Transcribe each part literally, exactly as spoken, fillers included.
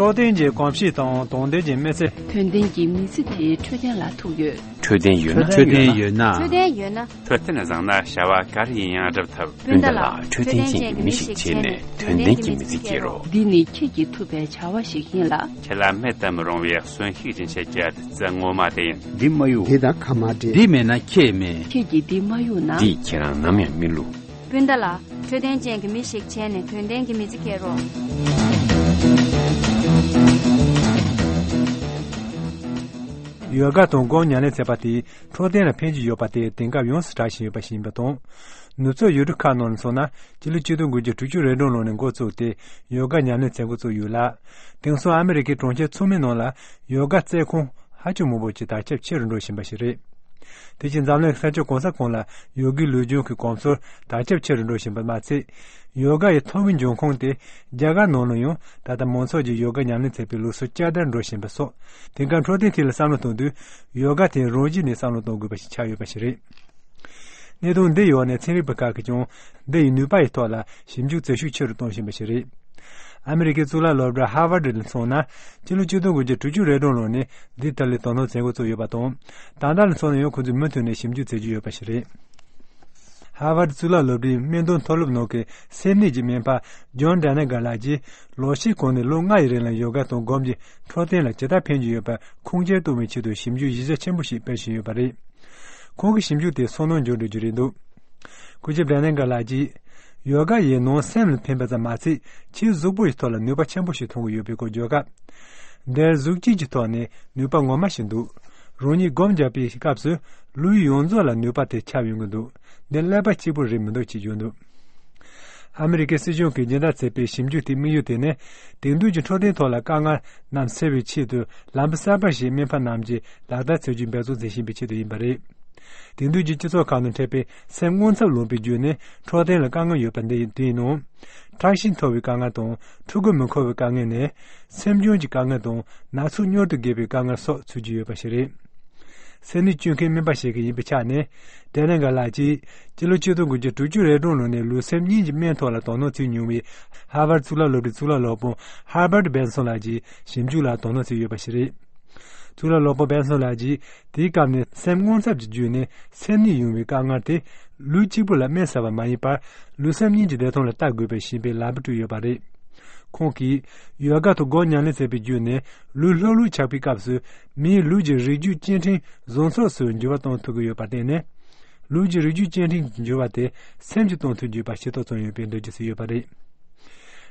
འཕྲོད་བསྟེན་གྱི་གོམས་གཤིས་དང་དོན་ལྡན་གྱི་མི་ཚེ། དོན་ལྡན་གྱི་མི་ཚེ་དེ་འཕྲོད་བསྟེན་ལ་ཐུག་ཡོད། འཕྲོད་བསྟེན་ཡོད་ན། འཕྲོད་བསྟེན་ཡོད་ན། འཕྲོད་བསྟེན་ཡོད་ན། འཕྲོད་བསྟེན་བཟང་ན་བྱ་བ་ག་རེ་ཡིན་ཡང་སྒྲུབ་ཐུབ། སྤུན་ཟླ་ལགས། འཕྲོད་བསྟེན་ཅན་གྱི་མི་ཞིག་བྱས་ནས་དོན་ལྡན་གྱི་མི་ཚེ་སྐྱེལ་རོགས། འདི་ནི་ཁྱེད་ཀྱིས་ཐུབ་པའི་བྱ་བ་ཞིག་ཡིན་ལ། ཁྱེད་ལ་མེད་དུ་མི་རུང་བའི་གསོན་ཤུགས་སྦྱིན་བྱེད་ཀྱི་བདུད་རྩི་ངོ་མ་དེ་ཡིན། འདི་མ་གཡུག་འདི་དང་ཁ་མ་འབྲལ། འདི་མེད་ན་ཁྱེད་མེད། ཁྱེད་ཀྱིས་འདི་མ་གཡུག་ན། འདིས་ཁྱེད་རང་ནམ་ཡང་མི་བསླུ། སྤུན་ཟླ་ལགས། འཕྲོད་བསྟེན་ཅན་གྱི་མི་ཞིག་བྱས་ནས་དོན་ལྡན་གྱི་མི་ཚེ་སྐྱེལ་རོགས། ཡོ་ག་དང་སྒོམ་ཉམས་ལེན་བྱེད་པ་དེས་འཕྲོད་བསྟེན་ལ་ཕན་གྱི་ཡོད་པ་དེ་དེང་སྐབས་ཡོངས་སུ་གྲགས་བཞིན་ཡོད་པ་ཞིག་ཡིན་པ་དང་། ནུབ་ཕྱོགས་ཡུལ་གྲུ་ཁག་ནང་ལ་སོང་ན། སྤྱི་ལོ་ཆིག་སྟོང་དགུ་བརྒྱ་དྲུག་ཅུ་རེ་གྲངས་ལོ་ནས་འགོ་བཙུགས་ཏེ་ཡོ་ག་ཉམས་ལེན་བྱེད་འགོ་བཙུགས་ཡོད་ལ། དེང་སང་ཨ་མི་རི་ཀའི་གྲོང་ཁྱེར་ཚང་མའི་ནང་ལ་ཡོ་ག་རྩེད་ཁང་ཧ་ཅང་མང་པོ་ཅིག་དར་ཁྱབ་ཆེ་རུ་འགྲོ་བཞིན་པ་ཞིག་རེད། དེ་བཞིན་འཛམ་གླིང་ས་ཕྱོགས་གང་ས་གང་ལ་ཡོ་གའི་ལུས་སྦྱོང་གི་གོམས་སྲོལ་དར་ཁྱབ་ཆེ་རུ་འགྲོ་བཞིན་པ་མ་ཚད། ཡོ་ག་ཡི་ཐོག་མའི་འབྱུང་ཁུངས་དེ་རྒྱ་གར་ནང་ལ་ཡང་ད་ལྟ་མང་ཚོགས་ཀྱིས་ཡོ་ག་ཉམས་ལེན་བྱེད་པའི་ལུགས་སྲོལ་བསྐྱར་དར་འགྲོ་བཞིན་པ་སོགས། དེང་སྐབས་འཕྲོད་བསྟེན་ཐད་ལ་བསམ་བློ་གཏོང་དུས། ཡོ་ག་དེ་རང་བཞིན་ནས་བསམ་བློ་གཏོང་དགོས་པ་ཞིག་ཆགས་ཡོད་པ་ཞིག་རེད། གནད་དོན་འདི་ཡོད་ནས་ཚན་རིག་པ་ཁག་གིས་ཀྱང་འདི་ཡི་ནུས་པ་ཡི་ཐོག་ལ་ཞིབ་འཇུག་བྱེད་ཤུགས་ཆེ་རུ་གཏོང་བཞིན་པ་ཞིག་རེད། ཨ་མི་རི་ཀའི་གཙུག་ལག་སློབ་གྲྭ་ཧར་ཝར་ཌི་ལ་སོང་ན། སྤྱི་ལོ་ཆིག་སྟོང་དགུ་བརྒྱ་དྲུག་ཅུ་རེ་གྲངས་ལོ་ནས་འདིའི་ཐད་ལ་དོ་སྣང་བྱེད་འགོ་བཙུགས་ཡོད་པ་དང་། ད་ལྟ་ལ་སོང་ན་ཡང་ཁོ་ཚོས་མུ་མཐུད་ནས་ཞིབ་འཇུག་བྱེད་ཀྱི་ཡོད་པ་ཞིག་རེད། ཧར་ཝར་ཌི་གཙུག་ལག་སློབ་གྲྭའི་སྨན་དོན་མཐོ་སློབ་ནང་གི་སེམས་ནད་ཀྱི་སྨན་པ་ཇོན་ཌེ་ནེ་གྷར་ལགས་ཀྱིས། ལོ་ཤས་གོང་ནས་ལོ་ལྔ་ཡི་རིང་ལ་ཡོ་ག་དང་སྒོམ་གྱིས་འཕྲོད་བསྟེན་ལ་ཇི་ལྟར་ཕན་གྱི་ཡོད་པར་ཁུངས་སྐྱེལ་གཏོང་བའི་ཆེད་དུ་ཞིབ་འཇུག་གཞི་རྒྱ་ཆེན་པོ་ཞིག་སྤེལ་བཞིན་ཡོད་པ་རེད། ཁོང་གི་ཞིབ་འཇུག་དེ་སོ་ནམ་འབྱོར་འགྲོ་རྒྱུ་རེད་འདུག་སྐུ་ཞབས་ཌེ་ནེ་གྷར་ལགས་ཀྱིས། ཡོ་ག་ཡིས་ནང་སེམས་ལ་ཕན་པ་ཙམ་མ་ཚད། ཕྱིའི་གཟུགས་པོ་ཡི་ཐོག་ལ་ནུས་པ་ཆེན་པོ་ཞིག་ཐོན་གྱི་ཡོད་པའི་སྐོར་བརྗོད་སྐབས། འདིར་གཟུགས་སྐྱེས་ཀྱི་ཐོག་ནས་ནུས་པ་ངོ་མ་ཞིག་འདུག་རང་ཉིད་སྒོམ་རྒྱག་པའི་སྐབས་སུ། ལུས་ཡོངས་རྫོགས་ལ་ནུས་པ་དེ་ཁྱབ་ཡོང་གི་འདུག་འདི་ཀླད་པ་གཅིག་པུ་རེད་མི་འདུག་ཅེས་བརྗོད་འདུག་ཨ་མི་རི་ཀའི་སྲིད་གཞུང་གིས་སྦྱིན་བདག་བྱས་པའི་ཞིབ་འཇུག་དེའི་དམིགས་ཡུལ་དེ་ནི། དེང་དུས་ཀྱི་འཕྲོད་བསྟེན་ཐོག་ལ་དཀའ་ངལ་རྣམས་སེལ་བའི་ཆེད་དུ། ལམ་བུ་གསར་པ་ཞིག་སྨན་པ་རྣམས་ཀྱིས་ལག་བསྟར་བྱེད་རྒྱུའི་འབད་བརྩོན་བྱེད་བཞིན་པའི་ཆེད་དུ་ཡིན་པ་རེད། དེང་དུས་ཀྱི་སྤྱི་ཚོགས་ཁག་ནང་འཕྲད་པའི་སེམས་དངངས་འཚབ་ལངས་པའི་རྒྱུ་ནི། འཕྲོད་བསྟེན་ལ་དཀའ་ངལ་ཡོད་པ་འདི་ཡིན་དུས་ནང་། ཁྲག་ཤེད་མཐོ་བའི་དཀའ་ངལ་དང་། ཕྲུ་གུ་མི་འཁོར་བའི་དཀའ་ངལ་ནས། སེམས་གཅོང་གི་དཀའ་ངལ་དང་། ན་ཟུག་མྱུར་དུ་རྒྱས་པའི་དཀའ་ངལ་སོགས་ཚུད་ཀྱི་ཡོད་པ་ཞིག་རེད། སེམས་ནད་བཅོས་མཁན་སྨན་པ་ཞིག་ཡིན་པའི་ཆ་ནས། ཏེ་ལེ་གྷ་ལགས་ཀྱིས། སྤྱི་ལོ་ཆིག་སྟོང་དགུ་བརྒྱ་དྲུག་ཅུ་རེ་གྲངས་ལོ་ནས་ལུས་སེམས་གཉིས་ཀྱི་སྨན་ཐོག་ལ་དོ་སྣང་བྱེད་མྱོང་བའི། ཧར་ཝར་གཙུག་ལག་སློབ་གྲྭའི་གཙུག་ལག་སློབ་དཔོན་ཧར་བར་བན་སོན་ལགས་ཀྱི་ཞིབ་འཇུག་ལ་དོ་སྣང་བྱས་ཡོད་པ་ཞིག་རེད། གཙུག་ལག་སློབ་དཔོན་བན་སོན་ལགས་ཀྱིས། དེའི་སྐབས་ནས་སེམས་དངངས་འཚབ་ཀྱི་བརྒྱུད་ནས་སེམས་ནད་ཡོང་བའི་དཀའ་ངལ་དེ། ལུས་གཅིག་པུ་ལ་སྨན་ཟ་བ་མ་ཡིན་པར། ལུས་སེམས་གཉིས་ཀྱི་བདེ་ཐང་ལ་ལྟ་དགོས་པའི་ཞེན་པའི་ལམ་བུ་བསྐྲུན་ཡོད་པ་རེད། ཁོང་གིས། ཡོ་ག་དང་སྒོམ་ཉམས་ལེན་བྱས་པའི་བརྒྱུད་ནས། ལུས་ལྷོད་ལྷོད་ཆགས་པའི་སྐབས་སུ། མིའི་ལུས་ཀྱི་རིགས་རྒྱུད་སྐྱེ་ཕྲེང་བཟང་ཕྱོགས་སུ་འགྱུར་བ་གཏོང་ཐུབ་ཀྱི་ཡོད་པར་བརྟེན་ནས། ལུས་ཀྱི་རིགས་རྒྱུད་སྐྱེ་ཕྲེང་གི་འགྱུར་བ་དེ་སེམས་ཀྱིས་གཏོང་ཐུབ་ཀྱི་ཡོད་པ་ཤེས་རྟོགས་བྱུང་ཡོད་པའི་འགྲེལ་བརྗོད་བྱས་ཡོད་པ་རེད།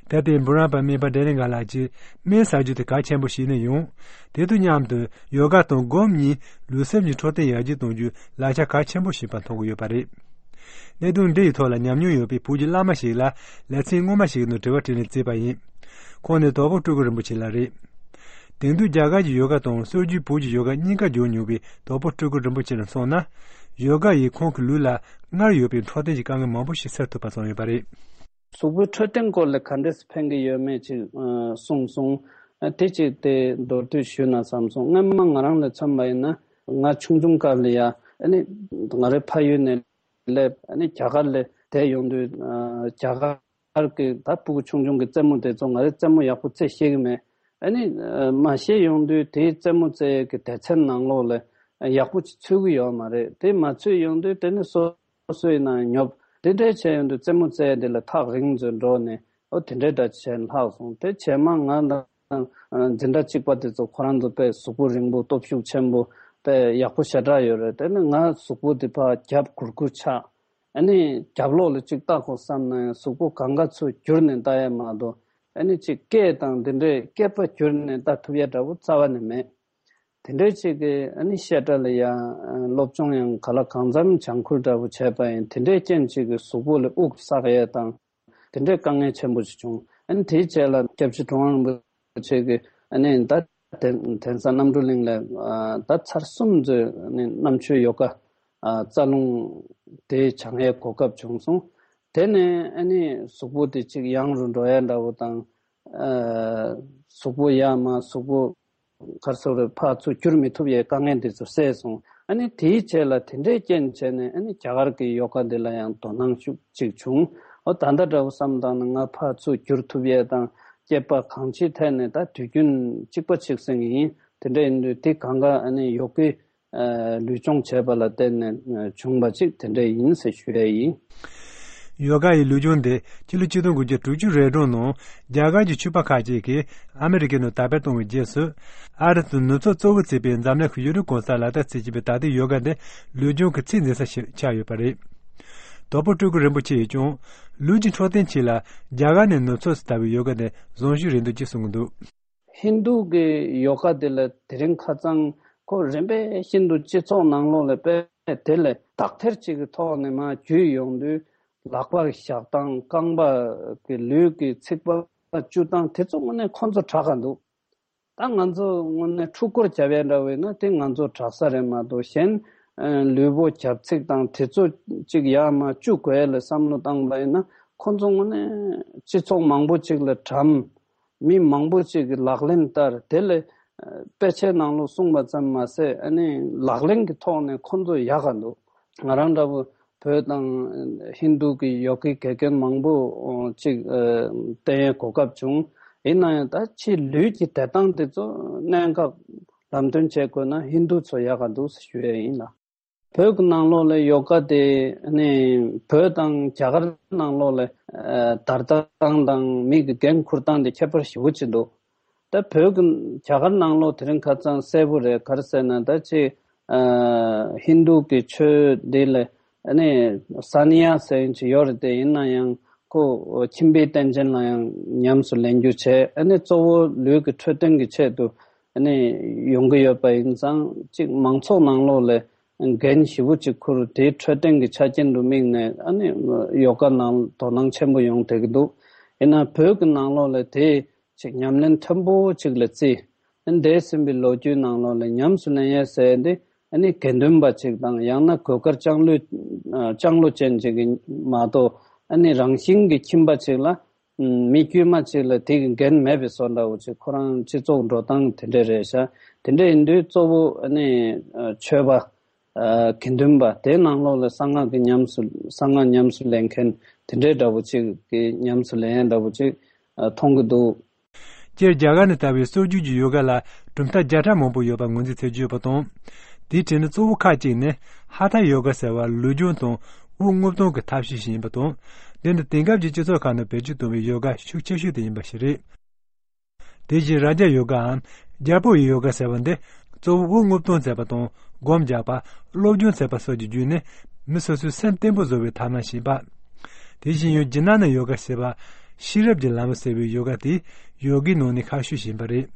ད་ལྟའི་འབུམ་རམས་པ་སྨན་པ་ཏེ་ལེ་གྷ་ལགས་ཀྱིས་སྨན་ཟ་རྒྱུ་དེ་གལ་ཆེན་པོ་ཞིག་ནི་ཡང་། དེ་དང་མཉམ་དུ་ཡོ་ག་དང་སྒོམ་གཉིས་ལུས་སེམས་ཀྱི་འཕྲོད་བསྟེན་ཡར་རྒྱས་གཏོང་རྒྱུའི་ལག་ཆ་གལ་ཆེན་པོ་ཞིག་ཡིན་པ་མཐོང་གི་ཡོད་པ་རེད། གནད་དོན་འདི་ཡི་ཐོག་ལ་ཉམས་མྱོང་ཡོད་པའི་བོད་ཀྱི་བླ་མ་ཞིག་ལ་ལེ་ཚན་སྔོན་མ་ཞིག་གི་ནང་དྲི་བ་དྲིས་ལན་བྱས་པ་ཡིན། ཁོང་ནི་དོལ་པོ་སྤྲུལ་སྐུ་རིན་པོ་ཆེ་ལགས་རེད། དེང་དུས་རྒྱ་གར་གྱི་ཡོ་ག་དང་སྲོལ་རྒྱུན་བོད་ཀྱི་ཡོ་ག་གཉིས་ཀ་སྦྱོང་མྱོང་བའི་དོལ་པོ་སྤྲུལ་སྐུ་རིན་པོ་ཆེ་ལ་མཚོན་ན། ཡོ་ག་ཡིས་ཁོང་གི་ལུས་ལ་སྔར་ཡོད་པའི་འཕྲོད་བསྟེན་གྱི་དཀའ་ངལ་མང་པོ་ཞིག་སེལ་ཐུབ་པ་བྱུང་ཡོད་པ་རེད། གཟུགས་པོའི་འཕྲོད་བསྟེན་སྐོར་ལ་ག་འདྲས་ཕན་གྱི་ཡོད་མེད་ཅིག་ཨ་གསུངས་སོང་། ཨ་དེ་ཅིག་དེ་མདོར་བསྡུས་ཞུས་ན་བསམ་སོང་། སྔན་མ་ང་རང་ལ་མཚོན་པ་ཡིན་ན། ང་ཆུང་ཆུང་སྐབས་ལ་ཡ། ཨ་ནི་ང་རའི་ཕ་ཡུལ་ནས་སླེབས། ཨ་ནི་རྒྱ་གར་ལ་བསྡད་ཡོང་དུས། ཨ་རྒྱ་གར་གྱི་ད་ཕྲུ་གུ་ཆུང་ཆུང་གི་རྩེད་མོ་དེ་ཚོ་ང་རའི་རྩེད་མོ་ཡག་པོ་རྩེ་ཤེས་ཀྱི་མེད། ཨ་ནི་ཨ་མ་ཤེས་ཡོང་དུས་དེའི་རྩེད་མོ་རྩེ་ཡས་ཀྱི་སྡེ་ཚན་ནང་ལོགས་ལ་ཡག་པོ་ཅིག་ཚུད་ཀྱི་ཡོད་མ་རེད། དེ་མ་ཚུད་ཡོང་དུས་དེ་ནི་སོ་སོ་སོ་ཡིན་ན་ཉོབ། དེ་འདྲའི་བྱས་ཡོང་དུས་རྩེད་མོ་རྩེ་ཡས་དེ་ལ་ཐག་རིང་ཙམ་འགྲོ་ནས། ཨོ་དེ་འདྲའི་འདྲ་བྱས་ལྷག་སོང་། དེ་བྱས་མ་ང་དང་འཛིན་གྲྭ་གཅིག་པ་དེ་ཚོ་ཁོ་རང་ཚོ་དཔེ་གཟུགས་པོ་རིང་པོ་སྟོབས་ཤུགས་ཆེན་པོ་དཔེ་ཡག་པོ་ཞེ་དྲག་ཡོད་རེད། དེ་ནི་ང་གཟུགས་པོ་དེ་ཕར་རྒྱབ་གུར་གུར་ཆགས། ཨ་ནི་རྒྱབ་ལོགས་ལ་གཅིག་ལྟ་དགོས་བསམ་ན་ཡང་གཟུགས་པོ་གང་ག་ཚོ་བསྒྱུར་ནས་ལྟ་ཡས་མ་གཏོགས། ཨ་ནི་གཅིག་སྐེ་དང་དེ་འདྲའི་སྐེད་པ་བསྒྱུར་ནས་ལྟ་ཐུབ་ཡས་འདྲ་པོ་རྩ་བ་ནས་མེད། དེ་འདྲའི་ཅིག་གི་ཨ་ནི་བཤད་གྲྭ་ལ་ཡ་སློབ་སྦྱོང་ཡང་ག་ལ་གང་འཚམ་སྦྱང་ཁུལ་འདྲ་པོ་བྱས་པ་ཡིན། དེ་འདྲའི་རྐྱེན་ཅིག་གི་གཟུགས་པོ་ལ་དབུགས་བསགས་ཡས་དང་། དེ་འདྲའི་དཀའ་ངལ་ཆེན་པོ་ཞིག་བྱུང་། ཨ་ནི་དེའི་རྗེས་ལ་སྐྱབས་རྗེ་གྲུབ་དབང་རིན་པོ་ཆེ་གིས་ཨ་ནི་ད་གདན་གདན་ས་རྣམ་གྲོལ་གླིང་ལ་ཨ་ད་ཚར་གསུམ་ཙམ་ཨ་ནི་གནམ་ཆོས་ཡོ་ག་ཨ་རྩ་རླུང་དེ་སྦྱང་ཡས་གོ་སྐབས་བྱུང་སོང་། དེ་ནས་ཨ་ནི་གཟུགས་པོ་དེ་ཅིག་ཡང་རུ་འགྲོ་ཡས་འདྲ་པོ་དང་། ཨ་གཟུགས་པོ་ཡར་མར་གཟུགས་པོ་ག་རེ་ཟེར་དགོས་རེད། ཕར་ཚུར་བསྒྱུར་མི་ཐུབ་ཡས་དཀའ་ངལ་འདི་ཚོ་སེལ་སོང་། ཨ་ནི་དེའི་རྗེས་ལ་དེ་འདྲའི་རྐྱེན་བྱས་ནས་ཨ་ནི་རྒྱ་གར་གྱི་ཡོ་ག་འདི་ལ་ཡང་དོ་སྣང་ཤུགས་ཅིག་བྱུང་། ཨོ་ད་ལྟ་འདྲ་པོ་བསམ་བཏང་ན་ང་ཕར་ཚུར་བསྒྱུར་ཐུབ་ཡས་དང་ སྐྱེས་པ་གང་ཅིའི་ཐད་ནས་ད་དུས་རྒྱུན་གཅིག་པ་གཅིག་སེང་ཡིན། དེ་འདྲ་ཡིན་དུས་དེ་གང་ག་ཨ་ནི་ཡོ་གའི་ལུས་སྦྱོང་བྱས་པ་ལ་བརྟེན་ནས་བྱུང་བ་ཅིག་དེ་འདྲ་ཡིན་ཟེར་ཞུ་ཡས་ཡིན། ཡོ་ག་ཡི་ལུས་སྦྱོང་དེ་སྤྱི་ལོ་ཆིག་སྟོང་དགུ་བརྒྱ་དྲུག་ཅུ་རེ་གྲངས་ནང་རྒྱ་གར་གྱི་ཆོས་པ་ཁག་ཅིག་གིས་ཨ་མི་རི་ཀའི་ནང་དར་སྤེལ་བཏང་བའི་རྗེས་སུ། ཨ་རི་དུ་ནུབ་ཕྱོགས་གཙོ་བོ་བརྩིས་པའི་འཛམ་གླིང་གི་ཡུལ་གྲུ་གང་སར་ལག་བསྟར་བྱེད་ཀྱིན་པའི་ད་ལྟའི་ཡོ་ག་དེ་ལུས་སྦྱོང་གི་ཚད་འཛིན་ས་ཞིག་ཆགས་ཡོད་པ་རེད། དོལ་པོ་སྤྲུལ་སྐུ་རིན་པོ་ཆེ་ཡིས་ཀྱང་ལུས་ཀྱི་འཕྲོད་བསྟེན་ཆེད་ལ་རྒྱ་གར་ནས་ནུབ་ཕྱོགས་སུ་དར་བའི་ཡོ་ག་དེ་བཟང་ཤོས་རེད་འདུག་ཅེས་གསུངས་ཀྱི་འདུག། ཧིན་རྡུ་གི་ཡོ་ག་དེ་ལ་དེ་རིང་ཁ་སང་ཁོ་རིམ་པས་ཤིན་ཏུ་སྤྱི་ཚོགས་ནང་ལོགས་ལ་དཔེ་དེ་ལས་དག་ཐེར་ཅིག་གི་ཐོག་ནས་མར་བརྒྱུད་ཡོང་དུས་ལག་པ་གི་བཞག་སྟངས། རྐང་པ་གི་ལུས་ཀྱི་ཚིགས་པ་བཅུ་སྟངས་དེ་ཚོ་དངོས་གནས་ཁོ་ཚོ་དྲག་ག་འདུག། ད་ང་ཚོ་དངོས་གནས་འཁྲུལ་འཁོར་བྱ་བའི་འདྲ་བས་ན་དེ་ང་ཚོ་དྲག་ས་རེད་མ་གཏོགས། གཞན་ལུས་པོ་རྒྱབ་ཚིགས་དང་དེ་ཚོ་ཅིག་ཡར་མར་བཅུག་དགོས་ལ་བསམ་བློ་བཏང་བ་ཡིན་ན། ཁོ་ཚོ་དངོས་གནས་སྤྱི་ཚོགས་མང་པོ་ཅིག་ལ་གྲམ། མི་མང་པོ་ཅིག་གིས་ལག་ལེན་བསྟར། དེ་ལས་དཔེ་ཆའི་ནང་ལོགས་གསུངས་པ་ཙམ་མ་ཟད་ཨ་ནི་ལག་ལེན་གྱི་ཐོག་ནས་ཁོ་ཚོ་ཡག་ག་འདུག། ང་རང་འདྲ་བོ་བོད་དང་ཧིན་རྡུ་གི་ཡོ་གའི་དགེ་རྒན་མང་པོ་ཅིག་བསྟེན་ཡའི་གོ་སྐབས་བྱུང་། ཡིན་ན་ཡང་ད་ཕྱིའི་ལུས་ཀྱི་བདེ་ཐང་དེ་ཚོ་གནད་འགག་ལམ་སྟོན་བྱེད་དགོས་ན་ཧིན་རྡུ་ཚོ་ཡག་ག་འདུག་ཞུ་ཡས་ཡིན་ལ། བོད་ཀྱི་ནང་ལོགས་ལ་ཡོ་ག་དེ་ནི་བོད་དང་རྒྱ་གར་ནང་ལོགས་ལ་ཨ་དར་སྟངས་དང་མི་གི་འགན་འཁུར་སྟངས་དེ་ཁྱད་པར་ཞེ་པོ་ཅིག་འདུག། ད་བོད་ཀྱི་རྒྱ་གར་ནང་ལོགས་དེ་རིང་ཁ་སང་གསལ་པོ་རེད། ག་རེ་ཟེར་ན་ད་ཅིག་ཨ་ཧིན་རྡུ་གི་ཆོས་འདི་ལ་ཨ་ནི་ས་ནི་ཡ་ཟེར་མཁན་ཅིག་ཡོད་རེད་དེ། ཡིན་ན་ཡང་ཁོ་ཁྱིམ་པའི་རྟེན་ཅན་ལ་ཡང་ཉམས་སུ་ལེན་རྒྱུ་བྱས། ཨ་ནི་གཙོ་བོ་ལུས་ཀྱི་འཕྲོད་བསྟེན་གྱི་ཆེད་དུ་ཨ་ནི་ཡོང་གི་ཡོད་པ་ཡིན་ཙང་ཅིག་མང་ཚོགས་ནང་ལོགས་ལ་འགན་ཞེ་པོ་ཅིག་འཁུར། དེའི་འཕྲོད་བསྟེན་གྱི་ཆ་རྐྱེན་དུ་དམིགས་ནས་ཨ་ནི་ཡོ་ག་ནང་དོ་སྣང་ཆེན་པོ་ཡོང་བསྡད་ཀྱི་འདུག། ཡིན་ན་བོད་ཀྱི་ནང་ལོགས་ལ་དེ་ཅིག་ཉམས་ལེན་མཐོན་པོ་ཅིག་ལ་བརྩིས། ཨ་ནི་འདས་ཟིན་པའི་ལོ་རྒྱུས་ནང་ལོགས་ལ་ཉམས་སུ་ལེན་ཡས་ཟེར་ཡས་འདི་ཨ་ནི་དགེ་འདུན་པ་ཅིག་དང་ཡང་ན་གོས་དཀར་ལྕང་ལོས་ལྕང་ལོ་ཅན་ཅིག་གིས་མ་གཏོགས། ཨ་ནི་རང་བཞིན་གྱི་ཁྱིམ་པ་ཅིག་ལ་མི་དཀྱུས་མ་ཅིག་ལ་དེ་གི་འགན་མེད་པའི་བཟོ་འདྲ་བོ་ཅིག། ཁོ་རང་སྤྱི་ཚོགས་འགྲོ་སྟངས་དེ་འདྲ་རེད་ཤག། དེ་འདྲ་ཡིན་དུས་གཙོ་བོ་ཨ་ནི་ཆོས་པ། ཨ་དགེ་འདུན་པ་དེའི་ནང་ལོགས་ལ་གསང་སྔགས་ཀྱི་ཉམས་སུ་གསང་སྔགས་ཉམས་སུ་ལེན་མཁན་དེ་འདྲའི་འདྲ་བོ་ཅིག་གི་ཉམས་སུ་ལེན་ཡས་འདྲ་བོ་ཅིག་ཨ་མཐོང་གི་འདུག། སྤྱིར་རྒྱ་གར་ནས་དར་བའི་སྲོལ་རྒྱུན་གྱི་ཡོ་ག་ལ་གྲུབ་མཐའ་བརྒྱ་ཕྲག་མང་པོ་ཡོད་པ་ངོས་འཛིན་བྱེད་ཀྱི་ཡོད་པ་དང་། དེའི་གྲས་ནས་གཙོ་བོ་ཁག་ཅིག་ནི་ཧ་ཐ་ཡོ་ག་ཟེར་བ་ལུས་སྦྱོང་དང་དབུགས་རྔུབ་སྟངས་ཀྱི་ཐབས་ཤེས་ཤིག་ཡིན་པ་དང་། འདི་ནི་དེང་སྐབས་ཀྱི་སྤྱི་ཚོགས་ཁག་ནང་བེད་སྤྱོད་གཏོང་བའི་ཡོ་ག་ཤུགས་ཆེ་ཤོས་དེ་ཡིན་པ་ཞིག་རེད། དེ་བཞིན་རཱ་ཇ་ཡོ་གའམ་རྒྱལ་པོ་ཡི་ཡོ་ག་ཟེར་བ་འདི་གཙོ་བོ་དབུགས་རྔུབ་སྟངས་མཛད་པ་དང་སྒོམ་རྒྱག་པ། སློབ་སྦྱོང་མཛད་པ་སོགས་ཀྱི་བརྒྱུད་ནས་མི་སོ་སོའི་སེམས་བརྟན་པོ་བཟོ་བའི་ཐབས་ལམ་ཞིག་ཡིན་པ། དེ་བཞིན་ཡང་ཇི་ན་ན་ཡོ་ག་ཟེར་བ། ཤེས་རབ་ཀྱི་ལམ་ཟེར་བའི་ཡོ་ག་དེ་ཡོ་གའི་ནང་ནས་ཁག་ཤོས་ཤིག་ཡིན་པ་རེད།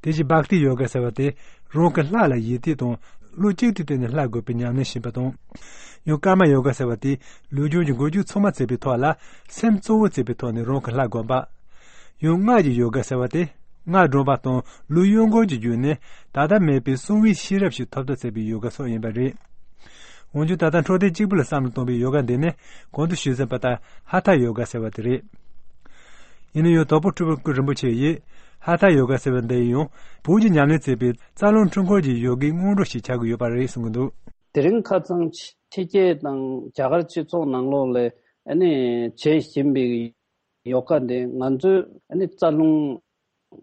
དེ་བཞིན་བྷག་ཏི་ཡོ་ག་ཟེར་བ་དེ་རང་གི་ལྷ་ལ་ཡིད་གཏད་དང་བློ་གཅིག་ཏུ་གཏད་ནས་ལྷ་དགོས་པའི་ཉམས་ལེན་ཞིག་ཡིན་པ་དང་། ཡང་ཀརྨ་ཡོ་ག་ཟེར་བ་དེ་ལུས་སྦྱོང་གི་འགུལ་སྐྱོད་ཚང་མ་བྱེད་པའི་ཐོག་ལ་སེམས་གཙོ་བོ་བྱེད་པའི་ཐོག་ནས་རང་གི་ལྷ་བསྒོམ་པ། ཡང་སྔགས་ཀྱི་ཡོ་ག་ཟེར་བ་དེ་སྔགས་བགྲང་བ་དང་ལུས་གཡོ་འགུལ་གྱི་བརྒྱུད་ནས་ད་ལྟ་མེད་པའི་གསང་བའི་ཤེས་རབ་ཞིག་ཐོབ་ཐབས་བྱེད་པའི་ཡོ་ག་སོགས་ཡིན་པ་རེད། འོན་ཀྱང་ད་ལྟ་འཕྲོད་བསྟེན་གཅིག་པུ་ལ་བསམ་བློ་གཏོང་བའི་ཡོ་ག་འདི་ནི་གོང་དུ་ཞུས་ཟིན་པ་ལྟར་ཧ་ཐ་ཡོ་ག་ཟེར་བ་དེ་རེད། ཡིན་ན་ཡང་དོལ་པོ་སྤྲུལ་སྐུ་རིན་པོ་ཆེ་ཡིས་ཧ་ཐ་ཡོ་ག་ཟེར་བ་འདི་ཡང་བོད་ཀྱི་ཉམས་ལེན་བྱེད་པའི་རྩ་རླུང་འཕྲུལ་འཁོར་གྱི་ཡོ་གའི་སྔོན་འགྲོ་ཞིག་ཆགས་ཀྱི་ཡོད་པ་རེད་གསུང་གི་འདུག། དེ་རིང་ཁ་སང་ཕྱི་རྒྱལ་དང་རྒྱ་གར་སྤྱི་ཚོགས་ནང་ལོགས་ལ་ཨ་ནི་བྱེད་བཞིན་པའི་ཡོ་ག་འདི་ང་ཚོའི་ཨ་ནི་རྩ་རླུང་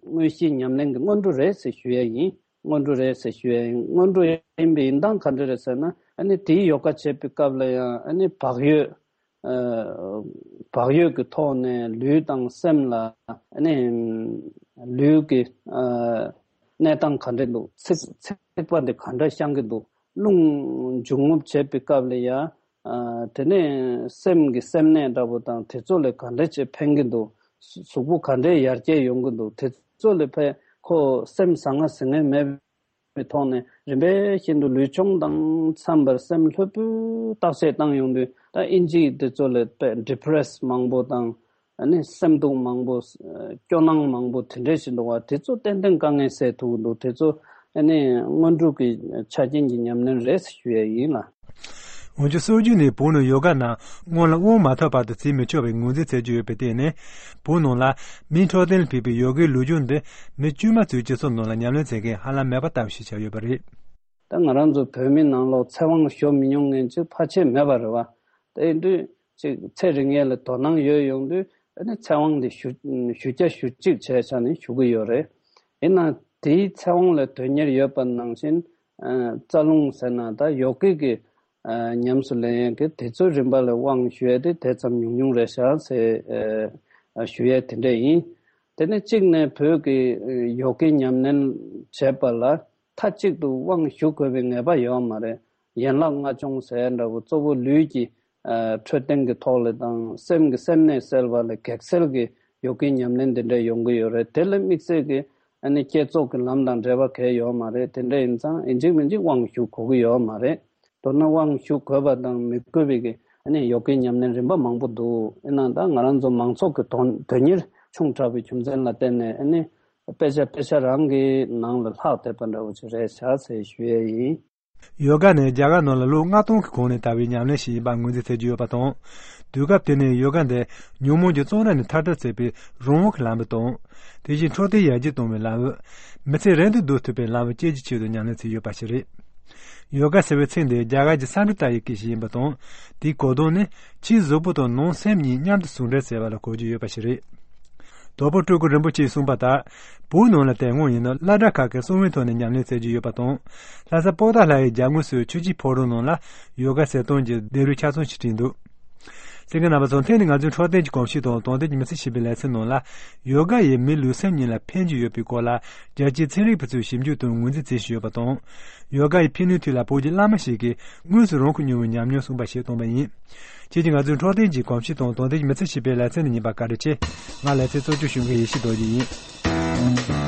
མངོན་ཤེས་ཉམས་ལེན་གྱི་སྔོན་འགྲོ་རེད་ཟེར་ཞུ་ཡ་ཡིན། སྔོན་འགྲོ་རེད་ཟེར་ཞུ་ཡ་ཡིན། སྔོན་འགྲོ་ཡིན་པའི་ཡིན་སྟངས་ག་འདྲ་རེད་ཟེར་ན། ཨ་ནི་དེའི་ཡོ་ག་བྱེད་པའི་སྐབས་ལ་ཡང་ཨ་ནི་བག་ཡོད། ཨ་བག་ཡོད་ཀྱི་ཐོག་ནས་ལུས་དང་སེམས་ལ་ཨ་ནི་ལུས་ཀྱི་ཨ་གནས་སྟངས་ག་འདྲ་འདུག། ཚིགས་ཚིགས་པ་འདི་ག་འདྲ་བཤང་གི་འདུག། རླུང་འབྱུང་རྔུབ་བྱེད་པའི་སྐབས་ལ་ཡང་ཨ་དེ་ནས་སེམས་ཀྱི་སེམས་གནས་འདྲ་པོ་དང་དེ་ཚོ་ལ་ག་འདྲ་ཅིག་ཕན་གྱི་འདུག། གཟུགས་པོ་ག་འདྲའི་ཡར་རྒྱས་ཡོང་གི་འདུག། དེ་ཚོ་ལ་ཕན་ཁོ་སེམས་ཟང་ངེ་ཟིང་ངེ་མེད་པའི་ཐོག་ནས་རིམ་པས་བཞིན་དུ་ལུས་སྦྱོང་དང་འཚམས་པར་སེམས་ལྷོད་པོས་བརྟག་དཔྱད་བཏང་ཡོང་དུས། ད་ཨིན་ཇིའི་དེ་ཚོ་ལ་དཔེ་ཌི་པི་རེ་སི་མང་པོ་དང་ཨ་ནི་སེམས་སྡུག་མང་པོ། སྐྱོ་སྣང་མང་པོ་དེ་འདྲས་ཞིག་འདུག་བ། དེ་ཚོ་ཏན་ཏན་དཀའ་ངལ་སེལ་ཐུབ་ཀྱི་འདུག། དེ་ཚོ་ཨ་ནི་སྔོན་འགྲོ་གི་ཆ་རྐྱེན་གྱི་ཉམས་ལེན་རེད་ཞུ་ཡས་ཡིན་ལ། འོན་ཀྱང་སྲོལ་རྒྱུན་ནས་བོད་ནང་ཡོ་ག་རྣམས་སྔོན་ལ་དབང་མ་ཐོབ་བར་དུ་བྱེད་མི་ཆོག་པའི་ངོས་འཛིན་བྱེད་ཀྱི་ཡོད་པའི་སྟེང་ནས། བོད་ནང་ལ་མིའི་འཕྲོད་བསྟེན་ལ་ཕན་པའི་ཡོ་གའི་ལུས་སྦྱོང་འདི་མི་དཀྱུས་མ་ཚོའི་སྤྱི་ཚོགས་ནང་ལ་ཉམས་ལེན་བྱེད་མཁན་ཧ་ལམ་མེད་པ་ལྟ་བུ་ཞིག་ཆགས་ཡོད་པ་རེད། ད་ང་རང་ཚོ་བོད་མི་ནང་ལོགས་ཚེ་དབང་ཞུ་མི་མྱོང་མཁན་ཅིག་ཕལ་ཆེར་མེད་པ་རེད་བ། དེ་ཡིན་དུས་ཅིག་ཚེ་རིང་ཡས་ལ་དོ་སྣང་ཡོད་ཡོང་དུས། ཨ་ནི་ཚེ་དབང་དེ་ཞུ་ཞུ་རྒྱ་ཞུ་གཅིག་བྱས་བྱས་ནས་ཞུ་གི་ཡོད་རེད། ཡིན་ན་དེའི་ཚེ་དབང་ལ་དོན་གཉེར་ཡོད་པ་ནང་བཞིན། ཨ་རྩ་རླུང་ཟེར་ན་ད་ཡོ་གི་གི་ཨ་ཉམས་སུ་ལེན་ཡས་ཀྱི་དེ་ཚོའི་རིམ་པ་ལ་དབང་ཞུ་ཡས་དེ་དེ་ཙམ་ཉུང་ཉུང་རེད་ཤག་ཟེར་ཨ་ཞུ་ཡས་དེ་འདྲ་ཡིན། དེ་ནས་གཅིག་ནས་བོད་ཀྱི་ཡོ་གའི་ཉམས་ལེན་བྱེད་པ་ལ་མཐའ་གཅིག་ཏུ་དབང་ཞུ་དགོས་པའི་ངེས་པ་ཡོད་མ་རེད། ཡན་ལག་ལྔ་སྦྱོང་ཟེར་འདྲ་བོ་གཙོ་བོ་ལུས་ཀྱི་ཨ་འཕྲོད་བསྟེན་གྱི་ཐོག་ལ་དང་སེམས་ཀྱི་སེམས་ནད་སེལ་བ་ལ་གེགས་སེལ་གྱི་ཡོ་གའི་ཉམས་ལེན་དེ་འདྲ་ཡོང་གི་ཡོད་རེད། དེ་ལ་དམིགས་བསལ་གྱི་ཨ་ནི་བསྐྱེད་རྫོགས་ཀྱི་ལམ་དང་འབྲེལ་བ་གང་ཡང་ཡོད་མ་རེད། དེ་འདྲ་ཡིན་ཙང་ཡིན་གཅིག་མིན་གཅིག་དབང་ཞུ་དགོས་ཀྱི་ཡོད་མ་རེད། མདོར་ན་དབང་ཞུ་དགོས་པ་དང་མི་དགོས་པའི་གི་ཨ་ནི་ཡོ་གའི་ཉམས་ལེན་རིམ་པ་མང་པོ་འདུག་ཡིན་ནའང་ད་ང་རང་ཚོ་མང་ཚོགས་ཀྱི་དོན་དོན་གཉེར་ཆུང་དྲགས་པའི་རྒྱུ་མཚན་ལ་བརྟེན་ནས་ཨ་ནི་དཔེ་ཆ་དཔེ་ཆ་རང་གི་ནང་ལ་ལྷག་བསྡད་པ་འདྲ་བོ་ཅིག་རེད་ཤག་ཟེར་ཞུ་ཡས་ཡིན། ཡོ་ག་ནི་རྒྱ་གར་ནང་ལ་ལོ་ལྔ་སྟོང་གི་གོང་ནས་དར་བའི་ཉམས་ལེན་ཞིག་ཡིན་པ་ངོས་འཛིན་མཛད་ཀྱི་ཡོད་པ་དང་། དུས་སྐབས་དེ་ནས་ཡོ་ག་འདི་ཉོན་མོངས་ཀྱི་བཙོན་ར་ནས་ཐར་ཐབས་མཛད་པའི་རང་དབང་གི་ལམ་བུ་དང་། དེ་བཞིན་འཕྲོད་བསྟེན་ཡར་རྒྱས་གཏོང་བའི་ལམ་བུ། མི་ཚེ་རིང་དུ་སྡོད་ཐུབ་པའི་ལམ་བུ་བཅས་ཀྱི་ཆེད་དུ་ཉམས་ལེན་མཛད་ཡོད་པ་ཞིག་རེད། ཡོ་ག་ཟེར་བའི་ཚིག་འདི་རྒྱ་གར་གྱི་སཾ་སྐྲྀ་ཏ་ཡི་སྐད་ཞིག་ཡིན་པ་དང་། དེའི་གོ་དོན་ནི་ཕྱིའི་གཟུགས་པོ་དང་ནང་སེམས་གཉིས་མཉམ་དུ་ཟུང་འབྲེལ་ཟེར་བ་ལ་གོ་རྒྱུ་ཡོད་པ་ཞིག་རེད། དྭགས་པོ་སྤྲུལ་སྐུ་རིན་པོ་ཆེས་གསུངས་པ་ལྟར། བོད་ནང་ལ་དེ་སྔོན་ཡིན་ན་སློབ་གྲྭ་ཁག་གི་གསང་བའི་ཐོག་ནས་ཉམས་ལེན་མཛད་ཀྱི་ཡོད་པ་དང་། ལྷ་ས་པོ་ཏཱ་ལ་ཡི་རྒྱབ་ངོས་སུ་ཆོས་ཀྱི་ཕོ་བྲང་ནང་ལ་ཡོ་ག་ཟེར་སྟངས་ཀྱི་སྡེ་རུས་ཆ་ཚང་ཞིག་བྲིས་འདུག་གསན་མཁན་རྣམ་པ་ཚོ་ཐེངས་འདིའི་ང་ཚོའི་འཕྲོད་བསྟེན་གྱི་གོམས་གཤིས་དང་དོན་ལྡན་གྱི་མི་ཚེ་ཞེས་པའི་ལེ་ཚན་ནང་ལ། ཡོ་ག་ཡིས་མིའི་ལུས་སེམས་གཉིས་ལ་ཕན་གྱི་ཡོད་པའི་སྐོར་ལ་རྒྱལ་སྤྱིའི་ཚན་རིག་པ་ཚོས་ཞིབ་འཇུག་དང་ངོས་འཛིན་མཛད་བཞིན་ཡོད་པ་དང་། ཡོ་ག་ཡི་ཕན་ནུས་ཐད་ལ་བོད་ཀྱི་བླ་མ་ཞིག་གིས་དངོས་སུ་རང་ཁུར་མྱོང་བའི་ཉམས་མྱོང་གསུངས་པ་ཞིག་བཏོན་པ་ཡིན། ཁྱེད་ཀྱིས་ང་ཚོའི་འཕྲོད་བསྟེན་གྱི་གོམས་གཤིས་དང་དོན་ལྡན་གྱི་མི་ཚེ་ཞེས་པའི་ལེ་ཚན་འདི་གཉིས་པ་བཀའ་དྲིན་ཆེ། ང་ལེ་ཚན་གཙོ་སྐྱོང་ཞུ་མཁན་ཡེ་ཤེས་རྡོ་རྗེ་ཡིན།